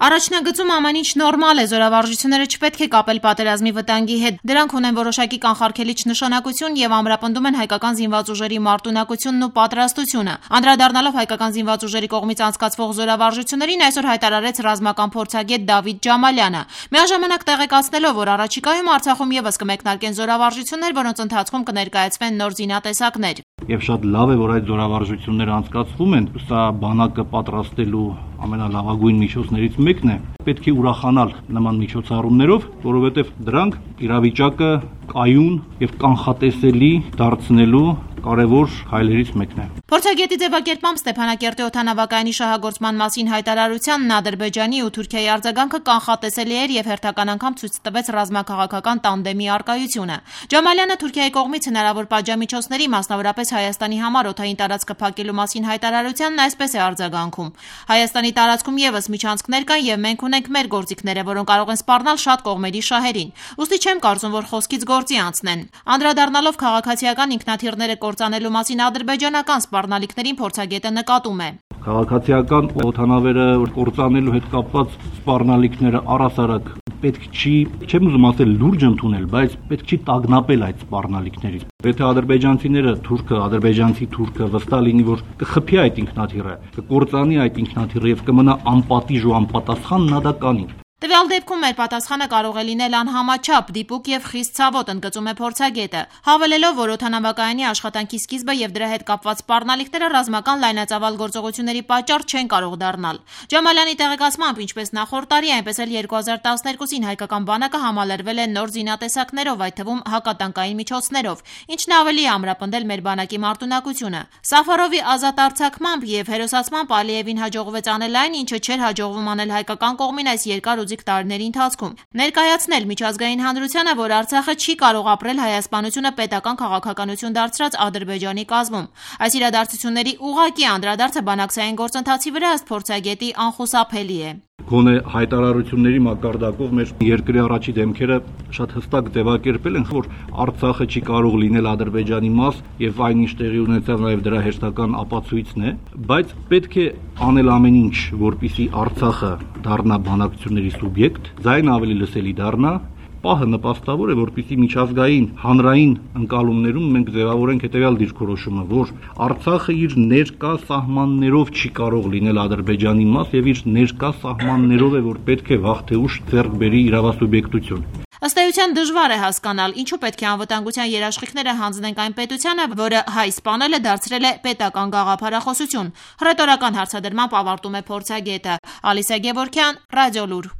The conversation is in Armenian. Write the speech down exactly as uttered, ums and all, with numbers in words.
Առաջնագծում ամեն ինչ նորմալ է, զորավարժությունները չպետք է կապել պատերազմի վտանգի հետ, դրանք ունեն որոշակի կանխարգելիչ նշանակություն եւ ամրապնդում են հայկական զինված ուժերի մարտունակությունն ու պատրաստությունը։ Անդրադառնալով հայկական զինված ուժերի կողմից անցկացվող զորավարժություններին այսօր հայտարարեց ռազմական փորձագետ Դավիթ Ջամալյանը, միաժամանակ տեղեկացնելով, որ առաջիկայում Արցախում եւս կմեկնարկեն զորավարժություններ, որոնց ընթացքում կներկայացվեն նոր զինատեսակներ։ Եվ շատ լավ է, որ այդ զորավարժությունները անցկացվում են, սա բանակը պատրաստելու ամենալավագույն միջոցներից մեկն է։ Պետք է ուրախանալ նման միջոցառումներով, որովհետև դրանք իրավիճակը կայուն եւ կանխատեսելի դարձնելու կարևոր քայլերից մեկն է։ Փորձագետի ձևակերպմամբ Ստեփանակերտի օդանավակայանի շահագործման մասին հայտարարությանն Ադրբեջանի ու Թուրքիայի արձագանքը կանխատեսելի էր եւ հերթական անգամ ցույց տվեց ռազմաքաղաքական տանդեմի առկայությունը։ Ջամալյանը Թուրքիայի կողմից հնարավոր պատժամիջոցների, մասնավորապես Հայաստանի համար օդային տարածքը փակելու մասին հայտարարությանն այսպես է արձագանքում. Հայաստանի տարածքում եւս միջանցքներ կան եւ մենք ունենք մեր գործիքները, որոնք կարող են սպառնալ շատ կողմերի շահերին։ Ուստի չեմ կարծում, որ խոսքից գործի անցնեն։ Անդրադառնալով քաղաքացիական ինքնաթիռները կործանելու մասին ադրբեջանական սպառնալիքներին փորձագետը նկատում է. Քաղաքացիական օդանավերը կործանելու հետ կապված սպառնալիքները առհասարակ պետք չի, չեմ ուզում ասել լուրջ ընդունել, բայց պետք չի տագնապել այդ սպառնալիքներից։ Եթե ադրբեջանցիները, թուրքը, ադրբեջանցի թուրքը վստահ լինի, որ կխփի այդ ինքնաթիռը, կկործանի այդ ինքնաթիռը եւ կմնա անպատիժ ու անպատասխան նադականին։ Տվյալ դեպքում մեր պատասխանը կարող է լինել անհամաչափ, դիպուկ եւ խիստ ցավոտ, ընդգծում է փորձագետը, հավելելով, որ օդանավակայանի աշխատանքի սկիզբը եւ դրա հետ կապված սպառնալիքները ռազմական լայնածավալ գործողությունների պատճառ չեն կարող դառնալ։ Ջամալյանի տեղեկացմամբ, ինչպես նախորդ տարի, այնպես էլ երկու հազար տասներկուսին հայկական բանակը համալրվել է նոր զինատեսակներով, այդ թվում հակատանկային միջոցներով, ինչն ավելի է ամրապնդել մեր բանակի մարտունակությունը։ Սաֆարովի ազատ արձակմամբ եւ հերոսացմամբ Ալիևին հաջողվեց անել այն, ինչը չէր հաջողվում անել հայկական կողմին այս երկար տարիների ընթացքում ներկայացնել միջազգային հանրությանը, որ Արցախը չի կարող ապրել հայասպանությունը պետական քաղաքականություն դարձրած Ադրբեջանի կազմում։ Այս իրադարձությունների ուղղակի անդրադարձը բանակցային գործընթացի վրա ըստ փորձագետի անխուսափելի է։ Գոնե հայտարարությունների մակարդակով մեր երկրի առաջի դեմքերը շատ հստակ ձևակերպել են, որ Արցախը չի կարող լինել Ադրբեջանի մաս եւ այնինչ տեղի ունեցավ նաեւ դրա հերթական ապացույցն է, բայց պետք է անել ամեն ինչ, որպեսզի Արցախը դառնա բանակցությունների սուբյեկտ, ձայն ավելի լսելի դառնա։ Պահը նպաստավոր է, որպեսզի միջազգային հանրային ընկալումներում մենք ձևավորենք հետևյալ դիրքորոշումը, որ Արցախը իր ներկա սահմաններով չի կարող լինել Ադրբեջանի մաս եւ իր ներկա սահմաններով է, որ պետք է վաղ թե ուշ ձեռք բերի իրավասուբյեկտություն։ Ըստ էության դժվար է հասկանալ, ինչու պետք է անվտանգության երաշխիքները հանձնենք այն պետությանը, որը հայ սպանելը դարձրել է պետական գաղափարախոսություն։ Հռետորական հարցադրմամբ ավարտում է փորձագետը։ Ալիսա Գևորգյան, Ռադիոլուր։